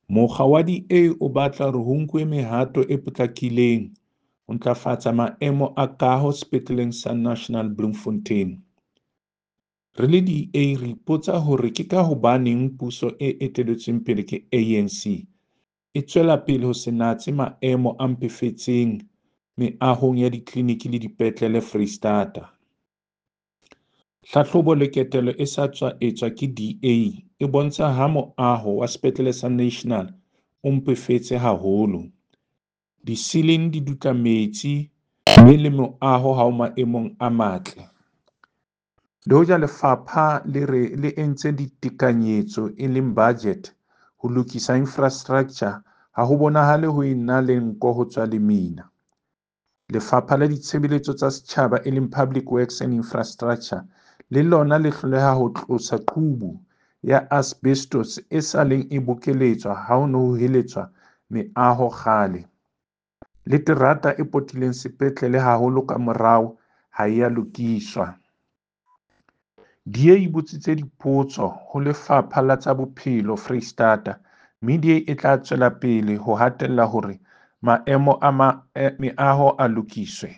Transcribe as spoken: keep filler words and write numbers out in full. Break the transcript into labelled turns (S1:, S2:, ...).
S1: Mokga wa D A o batla hore ho nkuwe mehato e potlakileng ho ntlafatsa maemo a kaho Sepetleleng sa National Bloemfontein. Re le D A re ipotsa hore ke ka hobaneng puso e etelletsweng pele ke A N C e tswela pele ho se natse maemo a mpefetseng meahong ya ditleliniki le dipetlele Foreisetata. Hlahlobo le ketelo e sa tswa etswa ke D A e bontsha ha moaho wa Sepetlele sa National o mpefetse haholo. Disiling di dutla metsi mme le moaho ha o maemong a matle. Le hoja lefapha le re le entse ditekanyetso e leng budget ho lokisa infrastructure, ha ho bonahale ho ena le nko ho tswa lemina. Lefapha la Ditshebeletso tsa Setjhaba e leng Public Works and Infrastructure le lona le hloleha ho tlosa qubu ya asbestos e sa leng e bokeletswa ha ho ne ho heletswa meaho kgale. Le terata e potileng sepetlele haholo ka morao ha e a lokiswa. D A e botsitse dipotso ho Lefapha la tsa Bophelo Foreisetata mme D A e tla tswela pele ho hatella hore maemo a meaho a lokiswe.